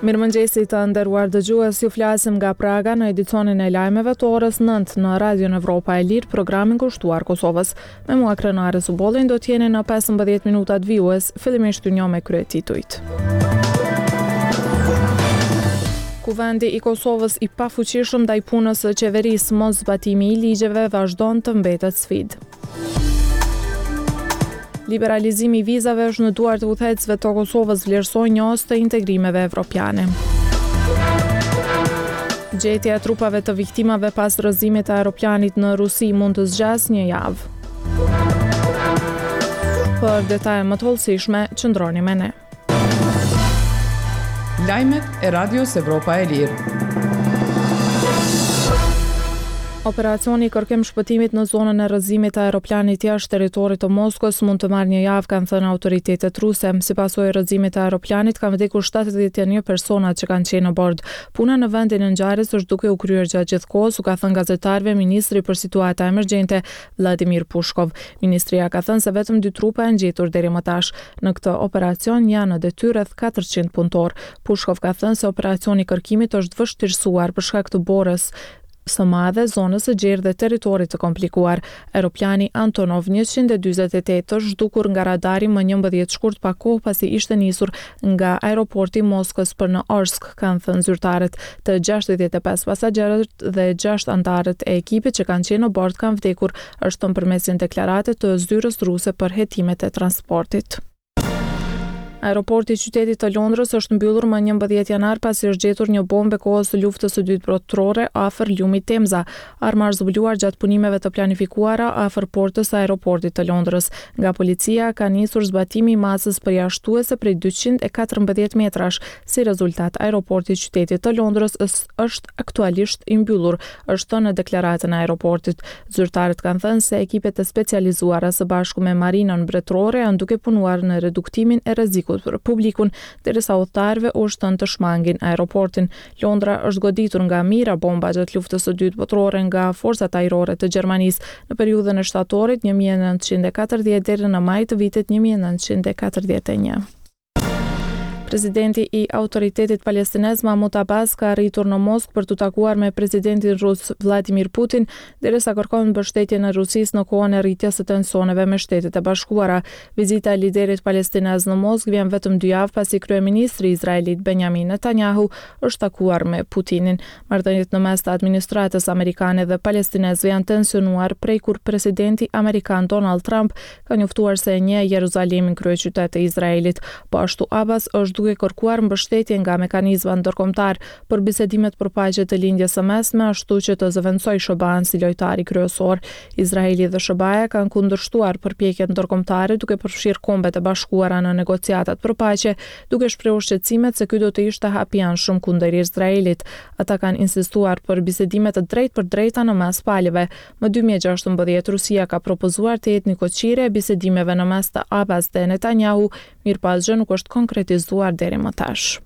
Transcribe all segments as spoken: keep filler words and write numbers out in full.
Mirëmëngjesi të nderuar dëgjues, ju flasim nga Praga në edicionin e lajmeve të orës nëntë në Radion Evropa e Lirë, programin kushtuar Kosovës. Me mua Krenare Subollin do t'jeni në pesëmbëdhjetë minutat vijues, fillimisht ju njoh me kryetitujt. Kuvendi i Kosovës i pafuqishëm ndaj punës së qeverisë, mos zbatimi i ligjeve vazhdon të mbetet sfidë. Liberalizimi i vizave është në duart e udhëheqësve të Kosovës, vlerësojnë njohës të integrimeve evropiane. Gjetja e trupave të viktimave pas rrëzimit të aeroplanit në Rusi mund të zgjasë një javë. Për detaje më të hollësishme, qëndroni me ne. Lajmet e Radios Evropa e Lirë. Operacioni i kërkim shpëtimit në zonën e rrëzimit të aeroplanit jashtë territorit të Moskës mund të marrë një javë, kanë thënë autoritetet ruse. Si pasojë e rrëzimit të aeroplanit kanë vdekur shtatëdhjetë e një persona që kanë qenë në bord. Puna në vendin e ngjarjes është duke u kryer gjatë gjithë kohës, u ka thënë gazetarëve ministri për situata emergjente Vladimir Pushkov. Ministria ka thënë se vetëm dy trupa janë gjetur deri më tash. Në këtë operacion janë në detyrë rreth katërqind punëtor. Pushkov ka thënë se operacioni i kërkimit është vështirësuar për shkak të borës së madhe, zonës së gjerë dhe territorit të komplikuar. Aeroplani Antonov njëqind e dyzet e tetë është zhdukur nga radari më njëmbëdhjetë shkurt pak kohë pasi ishte nisur nga aeroporti i Moskës për në Orsk, kanë thënë zyrtarët. Të gjashtëdhjetë e pesë pasagjerët dhe gjashtë anëtarët e ekipit që kanë qenë në bord kanë vdekur, është thënë përmes një deklarate të zyrës ruse për hetimet e transportit. Aeroporti i qytetit të Londrës është mbyllur më njëmbëdhjetë janar pasi është gjetur një bombë e kohës së luftës së dytë botërore afër lumit Temza. Arma është zbuluar gjatë punimeve të planifikuara afër portës së aeroportit të Londrës. Nga policia ka nisur zbatimi i masës përjashtuese prej dyqind e katërmbëdhjetë metrash. Si rezultat, aeroporti i qytetit të Londrës është aktualisht i mbyllur, është thënë në deklaratën e aeroportit. Zyrtarët kanë thënë se ekipet e specializuara së bashku me Marinën Mbretërore janë duke punuar në reduktimin e rrezikut për publikun, derisa udhëtarëve u është thënë të shmangin aeroportin. Londra është goditur nga mijëra bomba gjatë luftës së dytë botërore nga forcat ajrore të Gjermanisë në periudhën e shtatorit një mijë e nëntëqind e katërdhjetë deri në maj të vitit një mijë e nëntëqind e katërdhjetë e një. Presidenti i Autoritetit Palestinez Mahmoud Abbas ka arritur në Moskë për t'u takuar me presidentin rus Vladimir Putin, derisa kërkon mbështetjen e Rusisë në kohën e rritjes së tensioneve me Shtetet e Bashkuara. Vizita e liderit palestinez në Moskë vjen vetëm dy javë pasi kryeministri izraelit Benjamin Netanyahu është takuar me Putinin. Marrëdhëniet në mes të administratës amerikane dhe palestinezëve janë tensionuar prej kur presidenti amerikan Donald Trump ka njoftuar se e njeh Jeruzalemin kryeqytet të Izraelit. Po ashtu Abbas është duke kërkuar mbështetje nga mekanizma ndërkombëtar për bisedimet për paqe të lindjes së mesme, ashtu që të zëvendësojë S H B A-n si lojtari kryesor. Izraeli dhe S H B A-ja kanë kundërshtuar përpjekjet ndërkombëtare duke përfshirë Kombet e Bashkuara në negociatat për paqe, duke shprehur shqetësimet se ky do të ishte hap i anshëm kundër Izraelit. Ata kanë insistuar për bisedime të drejtë për drejta në mes palëve. Më dy mijë e gjashtëmbëdhjetë Rusia ka propozuar të jetë nikoqire e bisedimeve në mes të Abbas dhe Netanyahu, mirë pa asgjë nuk është konkretizuar deri më tash.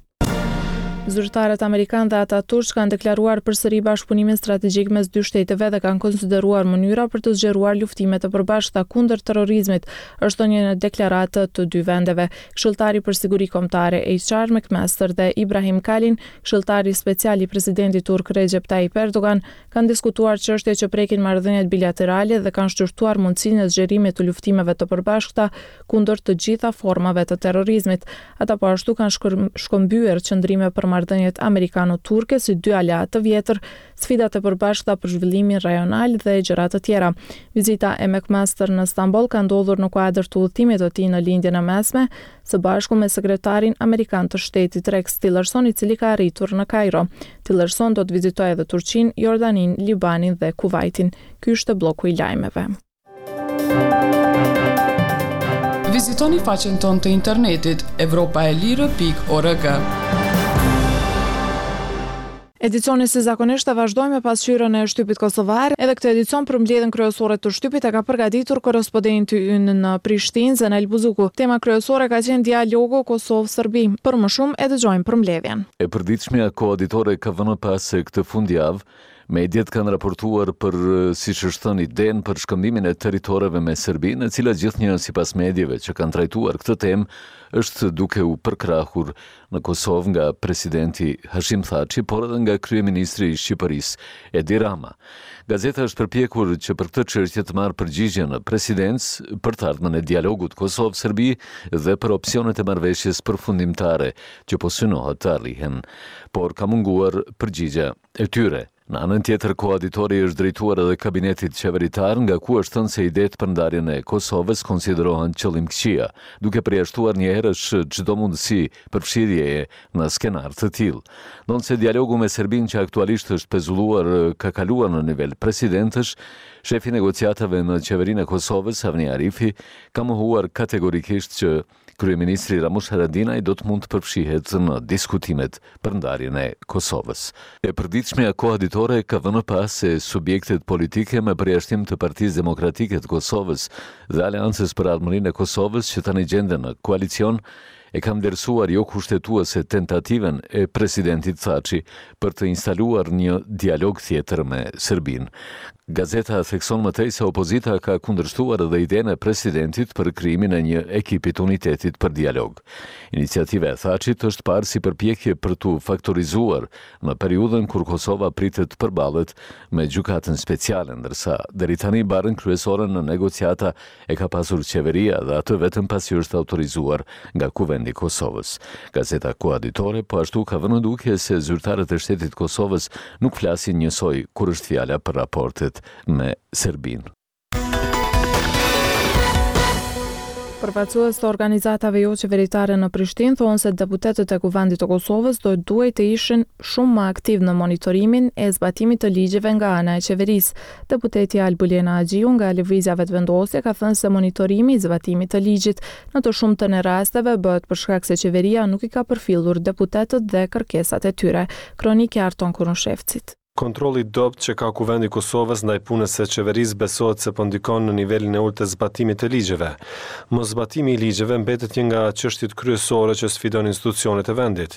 Zyrtarët amerikan dhe ata turq kanë deklaruar përsëri bashkëpunimin strategjik mes dy shteteve dhe kanë konsideruar mënyra për të zgjeruar luftimet e përbashkëta kundër terrorizmit, është thënë në deklaratë të dy vendeve. Këshilltari për siguri kombëtare H R McMaster dhe Ibrahim Kalin, këshilltari special i presidentit turk Recep Tayyip Erdogan, kanë diskutuar çështje që prekin marrëdhëniet bilaterale dhe kanë shqyrtuar mundësinë e zgjerimit të luftimeve të përbashkëta kundër të gjitha formave të terrorizmit. Ata po ashtu kanë shkër-, shkëmbyer qëndrime për marrëdhëniet amerikano-turke si dy aleatë të vjetër, sfidat e përbashkëta për zhvillimin rajonal dhe gjëra të tjera. Vizita e McMaster në Stamboll ka ndodhur në kuadër të udhëtimit të tij në Lindjen e Mesme, së bashku me sekretarin amerikan të shtetit Rex Tillerson, i cili ka arritur në Kairo. Tillerson do të vizitojë edhe Turqinë, Jordaninë, Libanin dhe Kuvajtin. Ky ishte bloku i lajmeve. Vizitoni faqen tonë të internetit evropa e lirë pikë org. Edicioni si zakonisht e vazhdojmë me pasqyrën e shtypit kosovar. Edhe këtë edicion për mbledhjen kryesore të shtypit e ka përgatitur korrespondenti ynë në Prishtinë, Zenel Buzuku. Tema kryesore ka qenë dialogu Kosovë-Serbi. Për më shumë e dëgjojmë për mbledhjen. E përditshmja Koha Ditore ka vënë pas se këtë fundjavë, Mediet kanë raportuar për, siç është thënë, idenë për shkëmbimin e territoreve me Serbinë, e cila gjithnjë sipas medieve që kanë trajtuar këtë temë është duke u përkrahur në Kosovë nga presidenti Hashim Thaçi, por edhe nga kryeministri i Shqipërisë, Edi Rama. Gazeta është përpjekur që për këtë çështje të marrë përgjigje në presidencë për të ardhmen e dialogut Kosovë-Serbi dhe për opsionet e marrëveshjes përfundimtare që po synohet të arrihen, por ka munguar përgjigja e tyre. Në anën tjetër, Koha Ditore i është drejtuar edhe kabinetit qeveritar, nga ku është thënë se idetë për ndarjen e Kosovës konsiderohen qëllimkëqija, duke përjashtuar njëherësh çdo mundësi përfshirjeje në skenar të tillë. Ndonëse dialogu me Serbinë që aktualisht është pezulluar ka kaluar në nivel presidentësh, shefi i negociatave në qeverinë e Kosovës, Avni Arifi, ka mohuar kategorikisht që kryeministri Ramush Haradinaj do të mund të përfshihet në diskutimet për ndarjen e Kosovës. E përditshmja Koha Ditore ka vënë pa se subjektet politike me përjashtim të Partisë Demokratike të Kosovës dhe Aleancës për Ardhmërinë e Kosovës që tani gjenden në koalicion e kanë vlerësuar jo kushtetuese tentativën e presidentit Thaçi për të instaluar një dialog tjetër me Serbinë. Gazeta thekson më tej se opozita ka kundërshtuar edhe idenë e presidentit për krijimin e një ekipi të unitetit për dialog. Iniciativa e Thaçit është parë si përpjekje për t'u faktorizuar në periudhën kur Kosova pritet të përballet me gjykatën speciale, ndërsa deri tani barrën kryesore në negociata e ka pasur qeveria dhe atë vetëm pasi është autorizuar nga Kuvendi i Kosovës. Gazeta Koha Ditore po ashtu ka vënë në dukje se zyrtarët e shtetit të Kosovës nuk flasin njësoj kur është fjala për raportet me Serbinë. Përfaqësues të organizatave jo qeveritare në Prishtinë thonë se deputetët e Kuvendit të Kosovës do të duhej të ishin shumë më aktiv në monitorimin e zbatimit të ligjeve nga ana e qeverisë. Deputeti Albulena Haxhiu nga Lëvizja Vetëvendosje ka thënë se monitorimi i zbatimit të ligjit në të shumtën e rasteve bëhet për shkak se qeveria nuk i ka përfillur deputetët dhe kërkesat e tyre. Kronikë e Arton Konushevcit. Kontrolli i dobët që ka Kuvendi i Kosovës ndaj punës së qeverisë besohet se po ndikon në nivelin e ulët të zbatimit të ligjeve. Moszbatimi i ligjeve mbetet një nga çështjet kryesore që sfidon institucionet e vendit.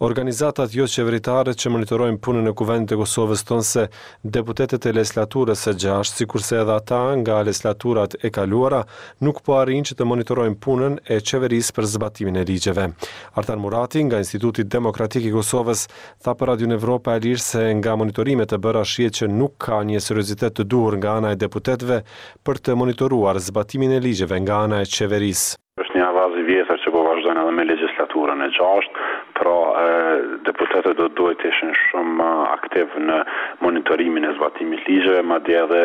Organizatat jo qeveritare që monitorojnë punën e Kuvendit të Kosovës thonë se deputetët e legjislaturës së gjashtë, sikurse edhe ata nga legislaturat e kaluara, nuk po arrijnë që të monitorojnë punën e qeverisë për zbatimin e ligjeve. Artan Murati nga Instituti Demokratik i Kosovës tha për Radion Evropa e Lirë se nga monitorimet e bëra shihet që nuk ka një seriozitet të duhur nga ana e deputetëve për të monitoruar zbatimin e ligjeve nga ana e qeverisë. Është një avaz i vjetër që po vazhdon edhe me legjislaturën e gjashtë, pra deputetët do të duhet të ishin shumë më aktiv në monitorimin e zbatimit ligjeve, madje edhe